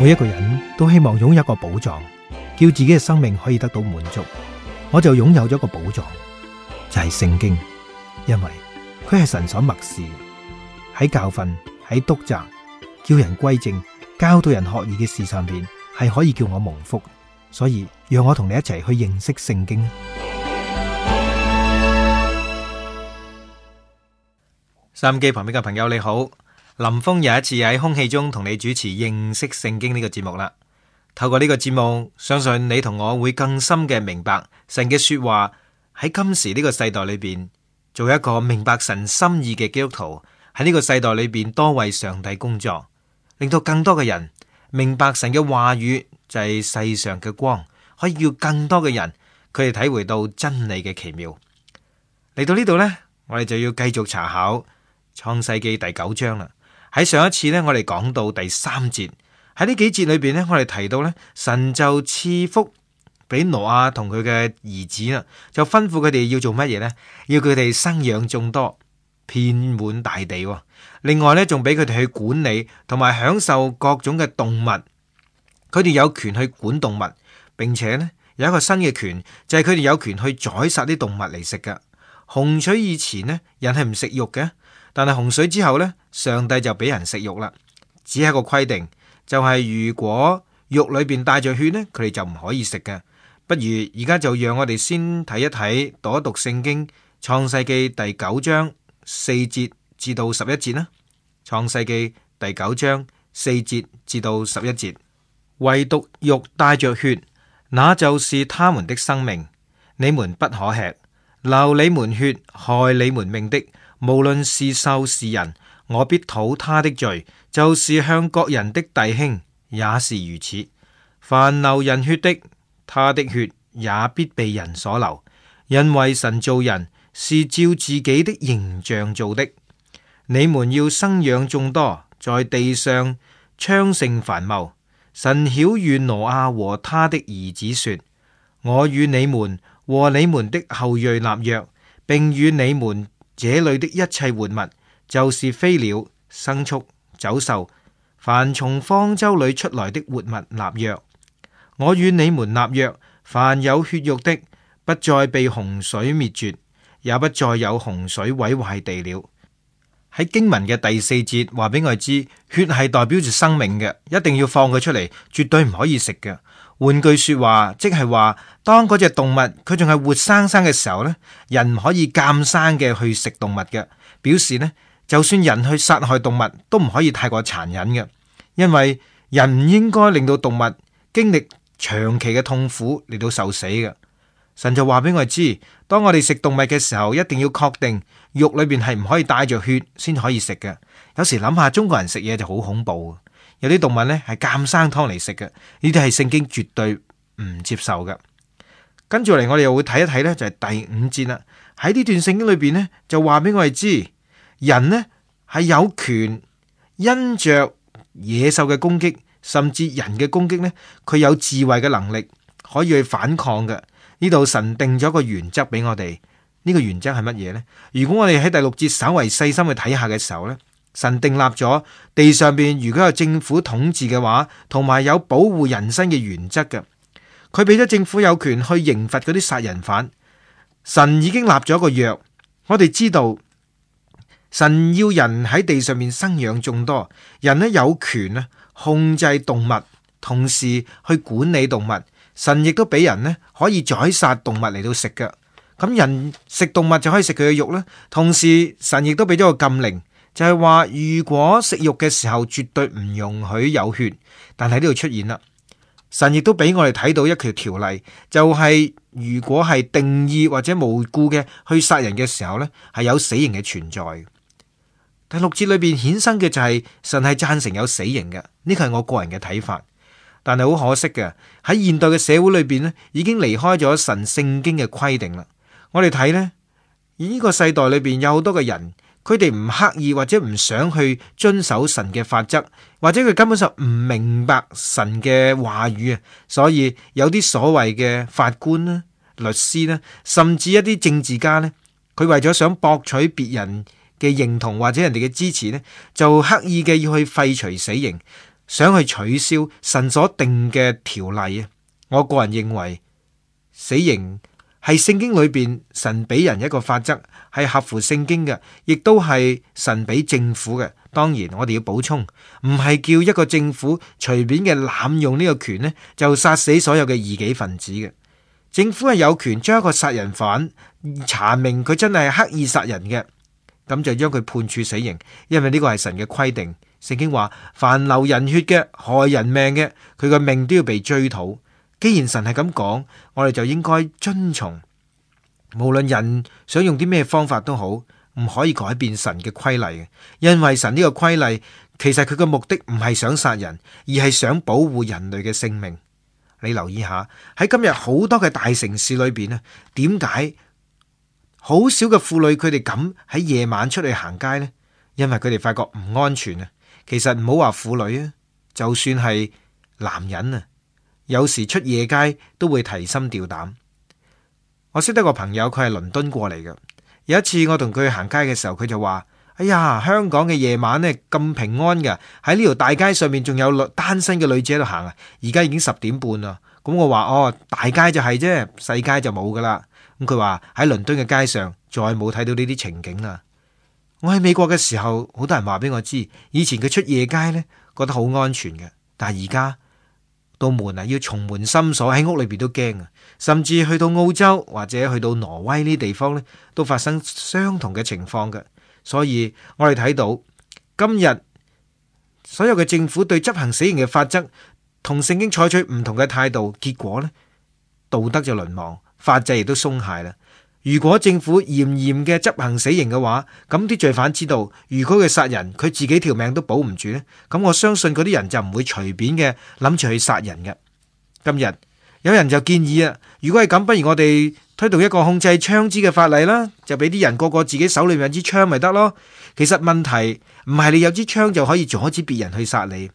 每一個人都希望擁有一個寶藏，叫自己嘅生命可以得到滿足。我就擁有咗一個寶藏，就係聖經，因為佢係神所默示，喺教訓、喺督責、叫人歸正、教導人學義嘅事上邊，係可以叫我蒙福。所以讓我同你一齊去認識聖經。收音機旁邊嘅朋友你好，林峰又一次喺空氣中同你主持認識聖經呢個節目啦。透過呢個節目，相信你同我會更深嘅明白神嘅說話，喺今時呢個世代裏邊，做一個明白神心意嘅基督徒，喺呢個世代裏邊多為上帝工作，令到更多嘅人明白神嘅話語就係世上嘅光，可以叫更多嘅人佢哋體會到真理嘅奇妙。嚟到呢度呢，我哋就要繼續查考創世記第9章啦。喺上一次呢，我哋講到第3節，喺呢幾節裏邊呢，我哋提到呢，神就賜福俾挪亞同佢嘅兒子啦，就吩咐佢哋要做乜嘢呢？要佢哋生養眾多，遍滿大地。另外呢，仲俾佢哋去管理同埋享受各種嘅動物。佢哋有權去管動物，並且呢，有一個新嘅權，就係佢哋有權去宰殺啲動物嚟食噶。洪水以前呢，人係唔食肉嘅，但係洪水之後呢，上帝就俾人食肉啦。只係一個規定，就係如果肉裏邊帶着血呢，佢哋就唔可以食嘅。不如而家就讓我哋先睇一睇，讀一讀聖經創世記第9章4節至到11節啦。創世記第9章4節至到11節，唯獨肉帶着血，那就是他們的生命，你們不可吃。流你們血，害你們命的，無論是獸是人，我必討他的罪，就是向各人的弟兄也是如此。凡流人血的，他的血也必被人所流，因為神造人是照自己的形象造的。你們要生養眾多，在地上昌盛繁茂。神曉諭挪亞和他的兒子說：我與你們和你們的後裔立約，並與你們這裏的一切活物，就是飛鳥、牲畜、走獸，凡從方舟裏出來的活物立約。我與你們立約，凡有血肉的，不再被洪水滅絕，也不再有洪水毀壞地了。喺經文嘅第4節話俾我哋知，血係代表住生命嘅，一定要放佢出嚟，絕對唔可以食嘅。換句說話，即係話當嗰隻動物佢仲係活生生嘅時候呢，人唔可以監生嘅去食動物嘅。表示呢，就算人去殺害動物都唔可以太過殘忍嘅，因為人唔應該令到動物經歷長期嘅痛苦嚟到受死嘅。神就話俾我哋知，當我哋食動物嘅時候，一定要確定肉裏邊係唔可以帶着血先可以食嘅。有時諗下中國人食嘢就好恐怖，有啲動物呢係監生湯嚟食嘅，呢啲係聖經絕對唔接受嘅。跟住嚟我哋又會睇一睇呢，就係第5節啦。喺呢段聖經裏邊呢，就話俾我哋知，人呢係有權因着野獸嘅攻擊，甚至人嘅攻擊呢，佢有智慧嘅能力可以去反抗嘅。呢度神定咗個原則俾我哋，呢個原則係乜嘢呢？如果我哋喺第6節稍為細心去睇下嘅時候呢，神定立咗地上邊如果有政府統治嘅話，同埋有保護人身嘅原則嘅，佢俾咗政府有權去刑罰嗰啲殺人犯。神已經立咗一個約，我哋知道神要人喺地上面生養眾多，人呢有權呢控制動物，同時去管理動物。神亦都俾人呢可以宰殺動物嚟到食嘅，咁人食動物就可以食佢嘅肉啦。同時神亦都俾咗個禁令，就係話如果食肉嘅時候絕對唔容許有血。但係呢度出現啦，神亦都俾我哋睇到一條條例，就係如果係定義或者無故嘅去殺人嘅時候呢，係有死刑嘅存在。第6節裏邊衍生嘅就係神係贊成有死刑嘅，呢個係我個人嘅睇法。但係好可惜嘅，喺現代嘅社會裏邊呢，已經離開咗神聖經嘅規定啦。我哋睇呢，呢個世代裏邊有好多嘅人，佢哋唔刻意或者唔想去遵守神嘅法則，或者佢根本上唔明白神嘅話語啊。所以有啲所謂嘅法官啦、律師啦，甚至一啲政治家呢，佢為咗想博取別人嘅認同或者人哋嘅支持呢，就刻意嘅要去廢除死刑。想去取消神所定嘅條例啊。我個人認為死刑係聖經裏邊神俾人一個法則，係合乎聖經嘅，亦都係神俾政府嘅。當然我哋要補充，唔係叫一個政府隨便嘅濫用呢個權呢，就殺死所有嘅異己分子嘅。政府係有權將一個殺人犯查明佢真係刻意殺人嘅，咁就將佢判處死刑，因為呢個係神嘅規定。聖經話凡流人血嘅、害人命嘅，佢個命都要被追討。既然神係咁講，我哋就應該遵從。無論人想用啲咩方法都好，唔可以改變神嘅規例嘅，因為神呢個規例其實佢嘅目的唔係想殺人，而係想保護人類嘅性命。你留意下喺今日好多嘅大城市裏邊啊，點解好少嘅婦女佢哋敢喺夜晚出去行街呢？因為佢哋發覺唔安全啊。其實唔好話婦女啊，就算係男人啊，有時出夜街都會提心吊膽。我識得個朋友，佢係倫敦過嚟嘅。有一次我同佢去行街嘅時候，佢就話：哎呀，香港嘅夜晚呢咁平安㗎，喺呢條大街上面仲有單身嘅女子喺度行啊！而家已經10點半啦。咁我話：哦，大街就係啫，細街就冇噶啦。咁佢話喺倫敦嘅街上再冇睇到呢啲情景啦。我喺美國嘅時候，好多人話俾我知，以前佢出夜街呢覺得好安全嘅，但係而家到門啊要重門深鎖，喺屋裏邊都驚啊！甚至去到澳洲或者去到挪威呢啲地方呢，都發生相同嘅情況嘅。所以我哋睇到今日所有嘅政府對執行死刑嘅法則同聖經採取唔同嘅態度，結果呢，道德就淪亡，法制亦都鬆懈啦。如果政府嚴嚴嘅執行死刑嘅話，咁啲罪犯知道，如果佢殺人，佢自己條命都保唔住呢，咁我相信嗰啲人就唔會隨便嘅諗住去殺人嘅。今日有人就建議啊，如果係咁，不如我哋推動一個控制槍支嘅法例啦，就俾啲人個個自己手裏面有支槍咪得咯。其實問題唔係你有支槍就可以阻止別人去殺你，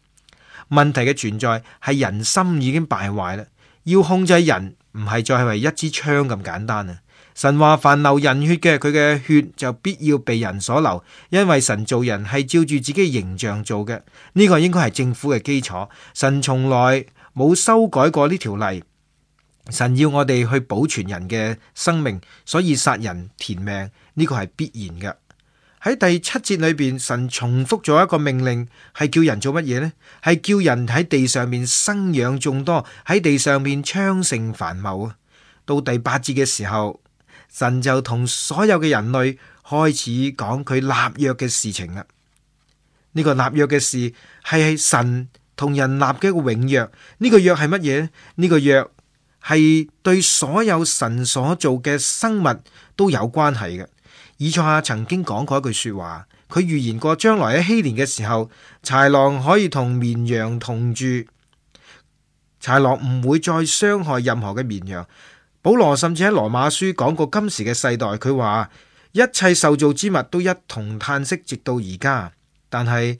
問題嘅存在係人心已經敗壞啦。要控制人唔係再係為一支槍咁簡單啊！神話凡流人血嘅，佢嘅血就必要被人所流，因為神造人係照住自己嘅形象做嘅。呢個應該係政府嘅基礎。神從來冇修改過呢條例。神要我哋去保存人嘅生命，所以殺人填命呢個係必然嘅。喺第7節裏邊，神重複咗一個命令，係叫人做乜嘢呢？係叫人喺地上面生養眾多，喺地上面昌盛繁茂啊！到第8節嘅時候，神就同所有嘅人類開始講佢立約嘅事情啦。呢個立約嘅事係神同人立嘅一個永約。呢個約係乜嘢呢？呢個約係對所有神所做嘅生物都有關係嘅。以賽亞曾經講過一句說話，佢預言過將來喺禧年嘅時候，豺狼可以同綿羊同住，豺狼唔會再傷害任何嘅綿羊。保羅甚至喺羅馬書講過今時嘅世代，佢話一切受造之物都一同嘆息，直到而家。但係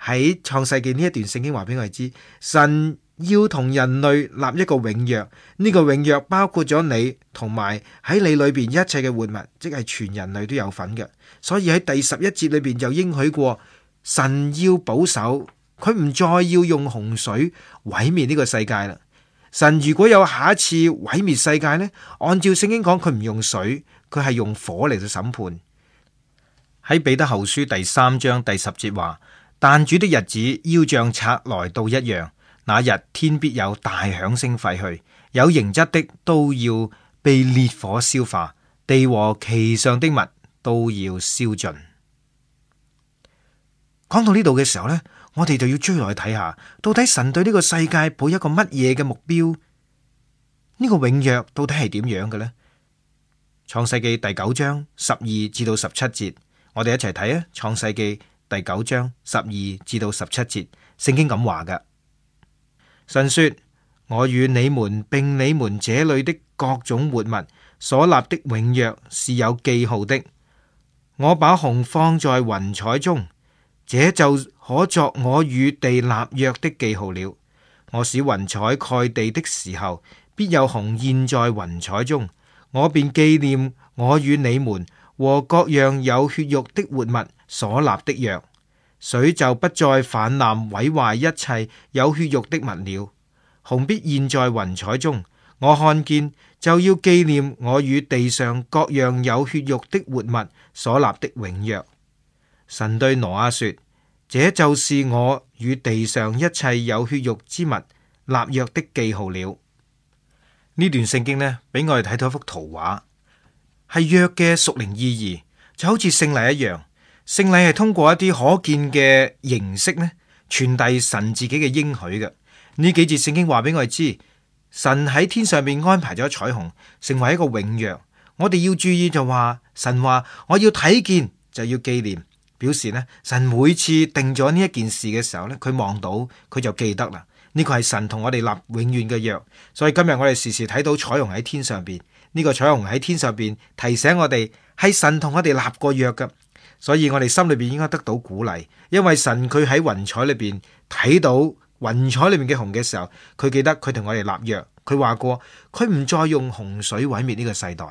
喺創世記呢一段聖經話俾我哋知，神要同人類立一個永約，呢個永約包括咗你同埋喺你裏邊一切嘅活物，即係全人類都有份嘅。所以喺第11節裏邊就應許過，神要保守，佢唔再要用洪水毀滅呢個世界啦。神如果有下一次毀滅世界呢，按照聖經講，佢唔用水，佢係用火嚟到審判。喺彼得後書第3章第10節話，但主的日子要像賊來到一樣，那日天必有大響聲廢去，有形質的都要被烈火消化，地和其上的物都要燒盡。講到呢度嘅時候呢，我哋就要追落去睇下，到底神對呢個世界抱一個乜嘢嘅目標？呢個永約到底係點樣嘅呢？創世記第9章12至到17節，我哋一齊睇啊！創世記第9章12至到17節，聖經咁話㗎。神說：我與你們並你們這裏的各種活物所立的永約是有記號的。我把虹放在雲彩中，這就可作我與地立約的記號了。我使雲彩蓋地的時候，必有虹現在雲彩中，我便紀念我與你們和各樣有血肉的活物所立的約。水就不再泛濫毀壞一切有血肉的物了。虹必現在雲彩中，我看見就要紀念我與地上各樣有血肉的活物所立的永約。神對挪亞說：這就是我與地上一切有血肉之物立約的記號了。呢段聖經呢，俾我哋睇到一幅圖畫，係約嘅屬靈意義，就好似聖禮一樣。聖禮係通過一啲可見嘅形式呢，傳遞神自己嘅應許嘅。呢幾節聖經話俾我哋知，神喺天上面安排咗彩虹，成為一個永約。我哋要注意就話，神話我要睇見就要紀念，表示呢，神每次定咗呢一件事嘅時候呢，佢望到佢就記得啦。呢個係神同我哋立永遠嘅約，所以今日我哋時時睇到彩虹喺天上邊，呢個彩虹喺天上邊提醒我哋係神同我哋立過約㗎，所以我哋心裏邊應該得到鼓勵，因為神佢喺雲彩裏邊睇到雲彩裏面嘅虹嘅時候，佢記得佢同我哋立約，佢話過佢唔再用洪水毀滅呢個世代。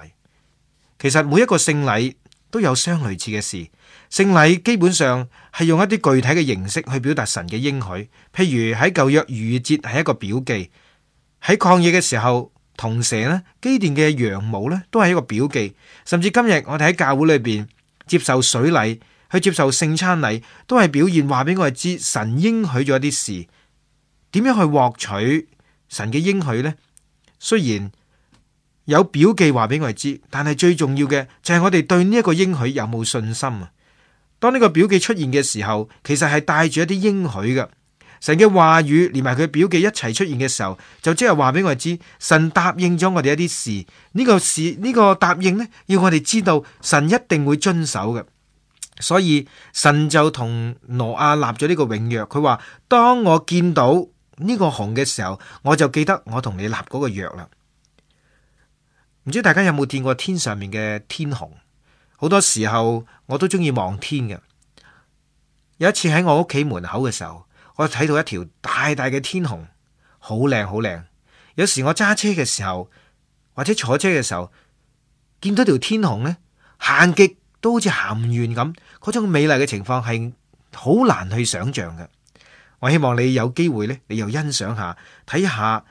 其實每一個聖禮都有相類似嘅事。聖禮基本上係用一啲具體嘅形式去表達神嘅應許，譬如喺舊約逾越節係一個表記，喺曠野嘅時候銅蛇呢，基甸嘅羊毛呢都係一個表記，甚至今日我哋喺教會裏邊接受水禮，去接受聖餐禮，都係表現話俾我哋知神應許咗一啲事，點樣去獲取神嘅應許呢？雖然有表記話俾我哋知，但係最重要嘅就係我哋對呢一個應許有冇信心啊！當呢個表記出現嘅時候，其實係帶住一啲應許嘅。神嘅話語連埋佢表記一齊出現嘅時候，就即係話俾我哋知，神答應咗我哋一啲事。呢個答應呢，要我哋知道神一定會遵守嘅。所以神就同挪亞立咗呢個永約。佢話：當我見到呢個虹嘅時候，我就記得我同你立嗰個約啦。唔知大家有冇見過天上面嘅天虹？好多時候我都中意望天嘅。有一次喺我屋企門口嘅時候，我睇到一條大大嘅天虹，好靚好靚。有時我揸車嘅時候或者坐車嘅時候，見到條天虹呢，行極都好似行唔完咁，嗰種美麗嘅情況係好難去想象嘅。我希望你有機會呢，你又欣賞下，睇下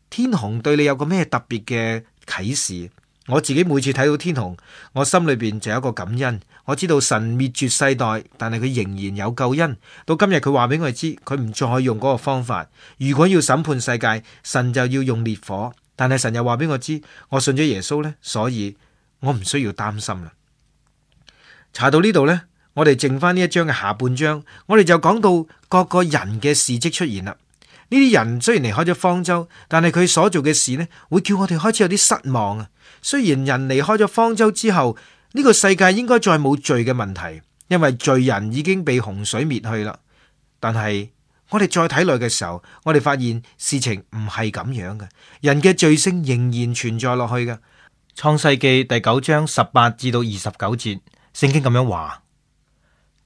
天虹對你有個咩特別嘅啟示。我自己每次睇到天虹，我心裏邊就有一個感恩。我知道神滅絕世代，但係佢仍然有救恩。到今日佢話俾我哋知，佢唔再用嗰個方法。如果要審判世界，神就要用烈火。但係神又話俾我知，我信咗耶穌呢，所以我唔需要擔心啦。查到呢度呢，我哋剩翻呢一章嘅下半章，我哋就講到各個人嘅事跡出現啦。呢啲人雖然離開咗方舟，但係佢所做嘅事呢，會叫我哋開始有啲失望啊。雖然人離開咗方舟之後，呢個世界應該再冇罪嘅問題，因為罪人已經被洪水滅去啦。但係我哋再睇落嘅時候，我哋發現事情唔係咁樣嘅，人嘅罪性仍然存在落去嘅。創世記第9章18至到29節，聖經咁樣話：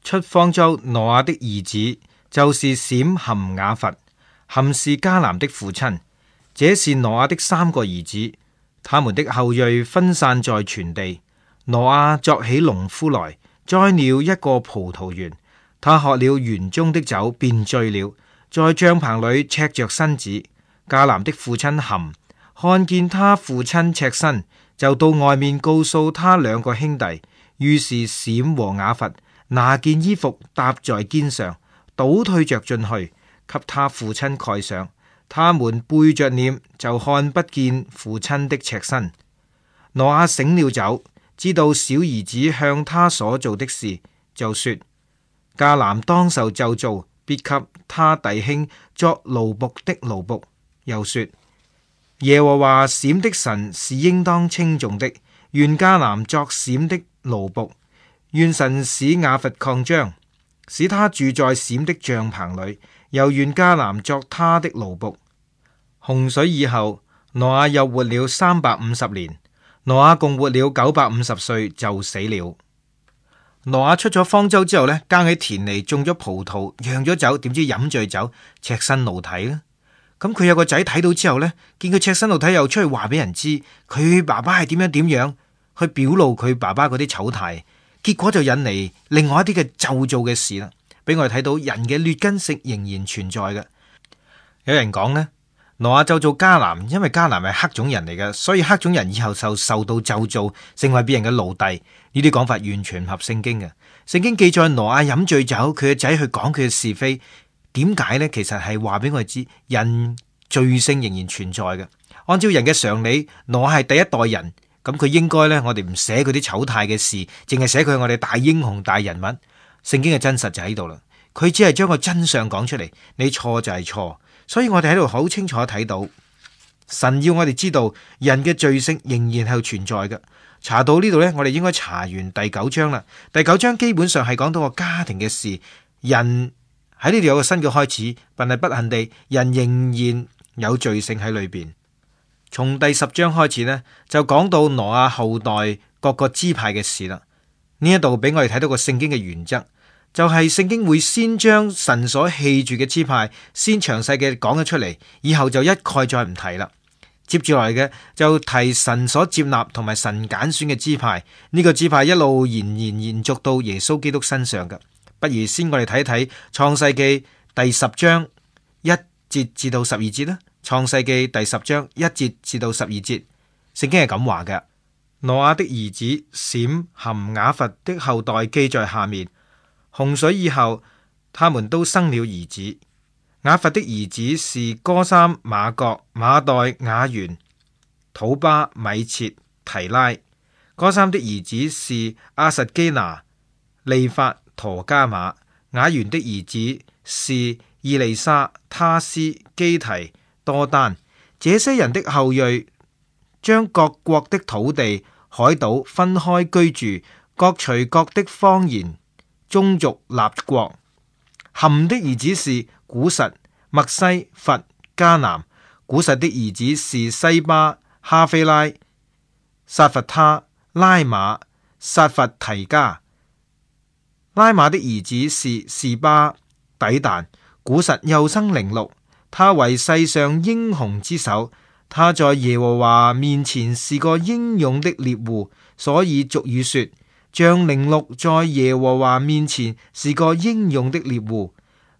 出方舟挪亞的兒子就是閃含雅弗，含是迦南的父親。這是挪亞的3個兒子。他們的後裔分散在全地。挪亞作起農夫來，栽了一個葡萄園。他喝了園中的酒，便醉了，在帳棚裏赤着身子。迦南的父親含看見他父親赤身，就到外面告訴他2個兄弟。於是閃和雅弗拿件衣服搭在肩上，倒退着進去，給他父親蓋上。他們背着臉，就看不見父親的赤身。挪亞醒了酒，知道小兒子向他所做的事，就說：迦南當受咒詛，必給他弟兄作奴僕的奴僕。又說：耶和華閃的神是應當稱頌的，願迦南作閃的奴僕，願神使雅弗擴張，使他住在閃的帳棚裏，又願迦南作他的奴僕。洪水以後，挪亞又活了350年。挪亞共活了950歲就死了。挪亞出咗方舟之後呢，耕喺田裏種咗葡萄，釀咗酒，點知飲醉酒，赤身露體啦。咁佢有個仔睇到之後呢，見佢赤身露體，又出去話俾人知佢爸爸係點樣，去表露佢爸爸嗰啲醜態，結果就引嚟另外一啲嘅咒詛嘅事啦。俾我哋睇到人嘅劣根性仍然存在嘅。有人講呢，挪亞咒詛迦南，因為迦南係黑種人嚟嘅，所以黑種人以後受到咒詛，成為別人嘅奴隸。呢啲講法完全唔合聖經嘅。聖經記載挪亞飲醉酒，佢嘅仔去講佢嘅是非，點解呢？其實係話俾我哋知，人罪性仍然存在嘅。按照人嘅常理，挪亞係第一代人，咁佢應該呢，我哋唔寫佢啲醜態嘅事，淨係寫佢係我哋大英雄大人物。聖經嘅真實就喺度啦，佢只係將個真相講出嚟，你錯就係錯。所以我哋喺度好清楚睇到，神要我哋知道人嘅罪性仍然係存在嘅。查到呢度呢，我哋應該查完第9章啦。第9章基本上係講到個家庭嘅事，人喺呢度有個新嘅開始，但係不幸地，人仍然有罪性喺裏邊。從第10章開始呢，就講到挪亞後代各個支派嘅事啦。呢一度俾我哋睇到個聖經嘅原則。就係聖經會先將神所棄絕嘅支派先詳細嘅講咗出嚟，以後就一概再唔提啦。接住來嘅就提神所接納同埋神揀選嘅支派，呢個支派一路延續到耶穌基督身上嘅。不如先我哋睇睇創世記第10章1節至到12節啦。創世記第10章1節至到12節，聖經係咁話嘅：挪亞的兒子閃、含、雅弗的後代記在下面。洪水以後，他們都生了兒子。雅弗的兒子是歌三、馬各、馬代、雅完、土巴、米設、提拉。歌三的兒子是亞實基拿、利法、陀加馬。雅完的兒子是以利沙、他斯、基提、多丹。這些人的後裔將各國的土地、海島分開居住，各隨各的方言，宗族立國。含的兒子是古實、麥西、弗、迦南。古實的兒子是西巴、哈菲拉、撒弗他、拉馬、撒弗提加。拉馬的兒子是示巴、底但。古實又生寧錄，他為世上英雄之首。他在耶和華面前是個英勇的獵戶，所以俗語說，像寧錄在耶和華面前是個英勇的獵戶。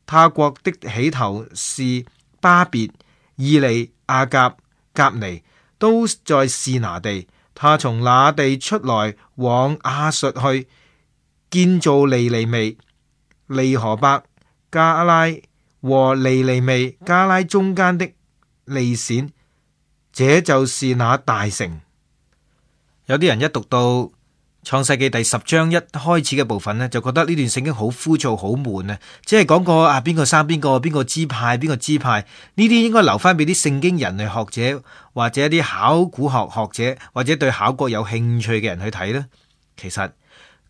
他國的起頭是巴別、以利、亞甲、甲尼，都在示拿地。他從那地出來往亞述去，建造尼尼微、利河伯、加拉和尼尼微、加拉中間的利閃，這就是那大城。有啲人一讀到創世記第10章一開始嘅部分呢，就覺得呢段聖經好枯燥好悶啊！只係講過邊個生邊個支派，邊個支派，呢啲應該留翻俾啲聖經人類學者或者一啲考古學學者或者對考古有興趣嘅人去睇啦。其實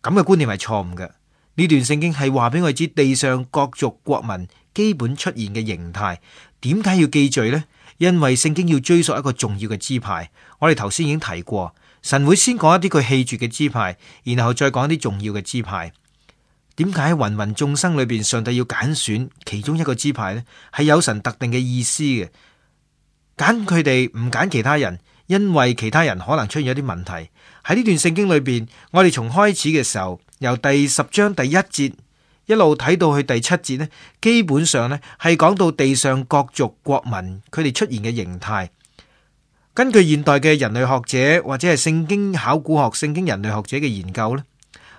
咁嘅觀念係錯誤嘅。呢段聖經係話俾我哋知地上各族國民基本出現嘅形態。點解要記敘呢？因為聖經要追溯一個重要嘅支派。我哋頭先已經提過，神會先講一啲佢棄絕嘅支派，然後再講一啲重要嘅支派。點解喺芸芸眾生裏邊，上帝要揀選其中一個支派呢？係有神特定嘅意思嘅。揀佢哋唔揀其他人，因為其他人可能出現一啲問題。喺呢段聖經裏邊，我哋從開始嘅時候，由第10章第1節一路睇到去第7節呢，基本上呢係講到地上各族國民佢哋出現嘅形態。根據現代嘅人類學者或者係聖經考古學、聖經人類學者嘅研究呢，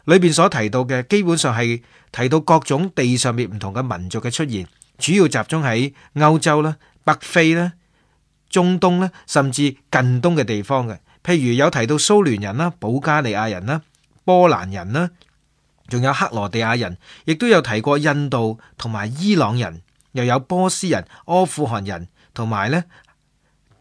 裏邊所提到嘅基本上係提到各種地上面唔同嘅民族嘅出現，主要集中喺歐洲啦、北非啦、中東啦，甚至近東嘅地方嘅。譬如有提到蘇聯人啦、保加利亞人啦、波蘭人啦，仲有克羅地亞人，亦都有提過印度同埋伊朗人，又有波斯人、阿富汗人同埋咧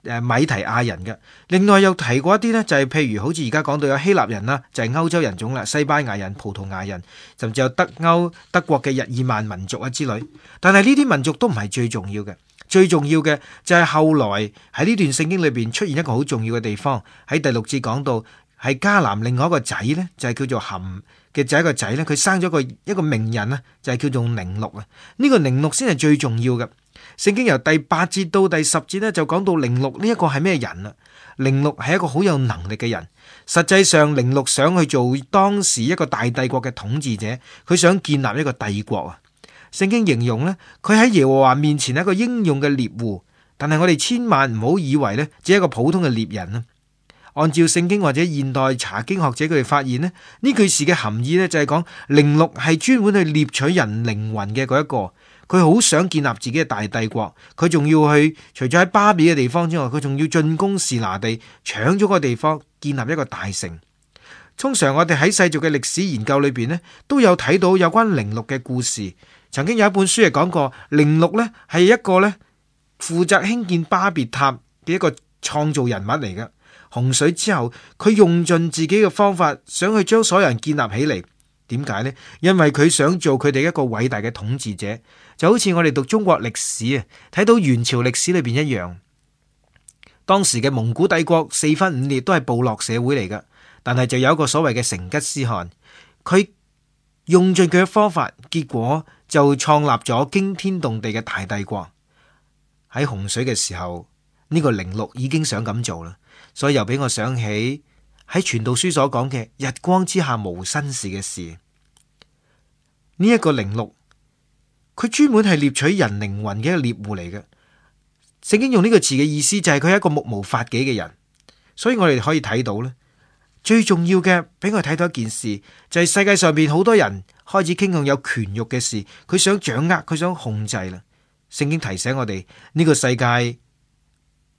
米提亞人嘅。另外又提過一啲呢，就係譬如好似而家講到有希臘人啦，就係歐洲人種啦，西班牙人、葡萄牙人，甚至有德國嘅日耳曼民族啊之類。但係呢啲民族都唔係最重要嘅，最重要嘅就係後來喺呢段聖經裏邊出現一個好重要嘅地方。喺第6節講到係迦南另外一個仔呢，就係叫做含嘅仔一個仔呢，佢生咗一個名人啊，就係叫做寧錄啊。呢個寧錄先係最重要嘅。聖經由第8節到第10節呢，就講到寧錄呢一個係咩人啊？寧錄係一個好有能力嘅人。實際上寧錄想去做當時一個大帝國嘅統治者，佢想建立一個帝國啊。聖經形容呢，佢喺耶和華面前係一個英勇嘅獵戶，但係我哋千萬唔好以為呢只係一個普通嘅獵人啊。按照聖經或者現代查經學者佢哋發現呢，呢句詩嘅含義呢，就係講寧錄係專門去獵取人靈魂嘅嗰一個，佢好想建立自己嘅大帝國，佢仲要去除咗喺巴比嘅地方之外，佢仲要進攻示拿地，搶咗個地方，建立一個大城。通常我哋喺世俗嘅歷史研究裏邊呢，都有睇到有關寧錄嘅故事。曾經有一本書係講過，寧錄呢係一個呢負責興建巴別塔嘅一個創造人物嚟嘅。洪水之後，佢用盡自己嘅方法，想去將所有人建立起嚟。點解呢？因為佢想做佢哋一個偉大嘅統治者，就好似我哋讀中國歷史啊，睇到元朝歷史裏邊一樣。當時嘅蒙古帝國四分五裂，都係部落社會嚟㗎。但係就有一個所謂嘅成吉思汗，佢用盡佢嘅方法，結果就創立咗驚天動地嘅大帝國。喺洪水嘅時候，呢個寧錄已經想咁做啦，所以又俾我想起喺傳道書所講嘅日光之下無新事嘅事。呢一個寧錄，佢專門係獵取人靈魂嘅一個獵戶嚟嘅。聖經用呢個詞嘅意思就係佢係一個目無法紀嘅人，所以我哋可以睇到咧。最重要嘅，俾我睇到一件事，就係世界上邊好多人開始傾向有權欲嘅事，佢想掌握，佢想控制啦。聖經提醒我哋，呢個世界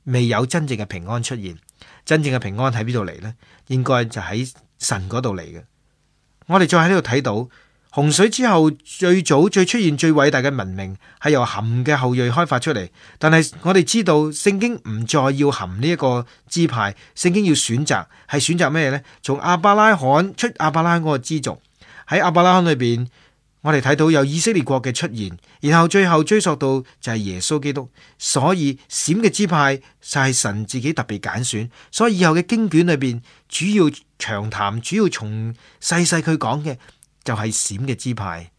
未有真正嘅平安出現，真正嘅平安喺邊度嚟呢？應該就喺神嗰度嚟嘅。我哋再喺呢度睇到洪水之後，最早最出現最偉大嘅文明係由含嘅後裔開發出嚟，但係我哋知道聖經唔再要含呢一個支派，聖經要選擇，係選擇咩呢？從亞伯拉罕出亞伯拉罕嗰個支族，喺亞伯拉罕裏邊，我哋睇到有以色列國嘅出現，然後最後追溯到就係耶穌基督，所以閃嘅支派就係神自己特別揀選，所以以後嘅經卷裏邊主要長談，主要從細細佢講嘅。就係閃嘅支派。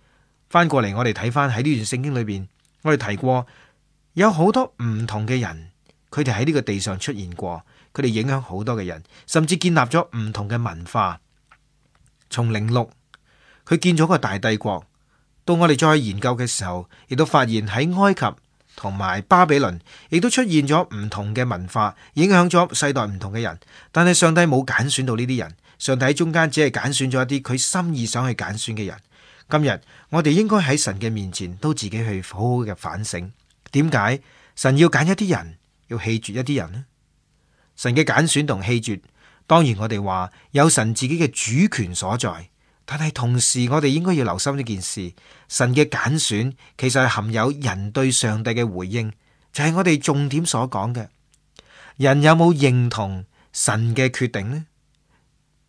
翻過嚟，我哋睇翻喺呢段聖經裏邊，我哋提過有好多唔同嘅人，佢哋喺呢個地上出現過，佢哋影響好多嘅人，甚至建立咗唔同嘅文化。從寧錄，佢建咗個大帝國，到我哋再去研究嘅時候，亦都發現喺埃及同埋巴比倫，亦都出現咗唔同嘅文化，影響咗世代唔同嘅人。但係上帝冇揀選到呢啲人。上帝喺中間只係揀選咗一啲佢心意想去揀選嘅人。今日我哋應該喺神嘅面前都自己去好好嘅反省，點解神要揀一啲人，要棄絕一啲人呢？神嘅揀選同棄絕，當然我哋話有神自己嘅主權所在，但係同時我哋應該要留心呢件事，神嘅揀選其實係含有人對上帝嘅回應，就係我哋重點所講嘅，人有冇認同神嘅決定呢？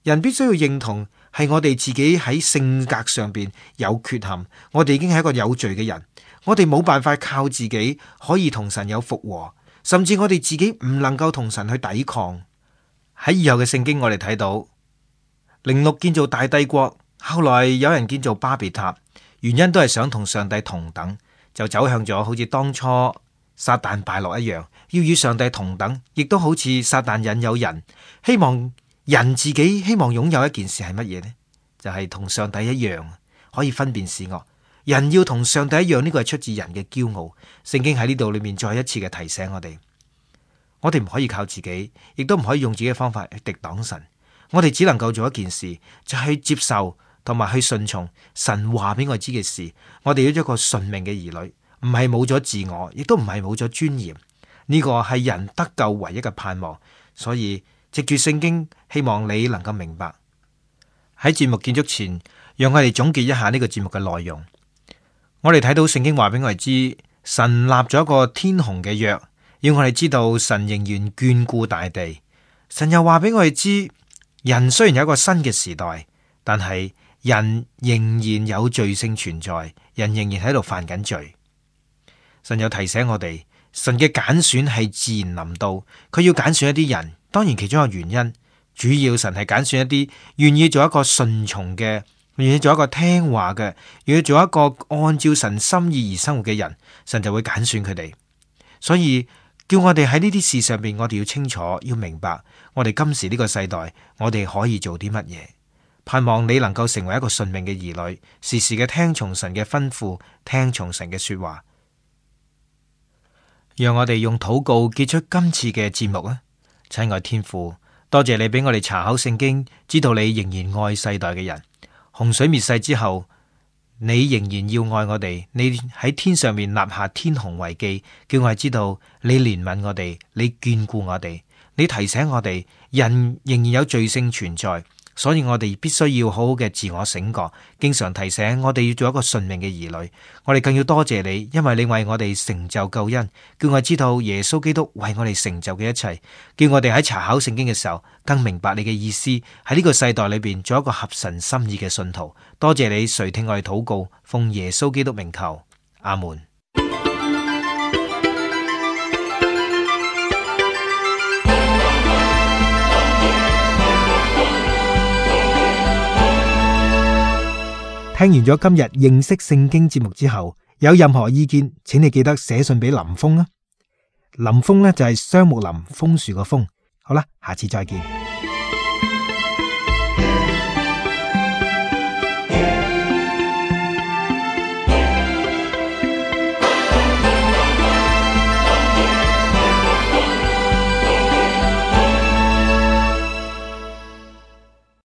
人必須要認同係我哋自己喺性格上邊有缺陷，我哋已經係一個有罪嘅人，我哋冇辦法靠自己可以同神有復和，甚至我哋自己唔能夠同神去抵抗。喺以後嘅聖經我哋睇到，寧錄建造大帝國，後來有人建造巴別塔，原因都係想同上帝同等，就走向咗好似當初撒旦敗落一樣，要與上帝同等，亦都好似撒旦引誘人，希望人自己希望擁有一件事係乜嘢呢？就係同上帝一樣，可以分辨善惡。人要同上帝一樣，呢個係出自人嘅驕傲。聖經喺呢度裏面再一次嘅提醒我哋唔可以靠自己，亦都唔可以用自己嘅方法去敵擋神。我哋只能夠做一件事，就係接受同埋去順從神話俾我知嘅事。我哋要做一個順命嘅兒女，唔係冇咗自我，亦都唔係冇咗尊嚴。呢個係人得救唯一嘅盼望。所以藉住聖經，希望你能夠明白。喺節目結束前，讓我哋總結一下呢個節目嘅內容。我哋睇到聖經話俾我哋知，神立咗一個天虹嘅約，要我哋知道神仍然眷顧大地。神又話俾我哋知，人雖然有一個新嘅時代，但係人仍然有罪性存在，人仍然喺度犯緊罪。神又提醒我哋，神嘅揀選係自然臨到，佢要揀選一啲人。當然其中一個原因，主要神係揀選一啲願意做一個順從嘅，願意做一個聽話嘅，願意做一個按照神心意而生活嘅人，神就會揀選佢哋。所以叫我哋喺呢啲事上邊，我哋要清楚要明白，我哋今時呢個世代，我哋可以做啲乜嘢。盼望你能夠成為一個順命嘅兒女，時時嘅聽從神嘅吩咐，聽從神嘅說話。讓我哋用禱告結束今次嘅節目啊！親愛天父，多謝你俾我哋查考聖經，知道你仍然愛世代嘅人。洪水滅世之後，你仍然要愛我哋，你喺天上面立下天虹為記，叫我哋知道你憐憫我哋，你眷顧我哋，你提醒我哋人仍然有罪性存在，所以我哋必須要好好嘅自我醒覺，經常提醒我哋要做一個順命嘅兒女。我哋更要多謝你，因為你為我哋成就救恩，叫我哋知道耶穌基督為我哋成就嘅一切，叫我哋喺查考聖經嘅時候更明白你嘅意思，喺呢個世代裏邊做一個合神心意嘅信徒。多謝你垂聽我哋禱告，奉耶穌基督名求，阿門。聽完咗今日認識聖經節目之後，有任何意見，請你記得寫信俾林峰啊。林峰呢就係雙木林楓樹個楓。好啦，下次再見。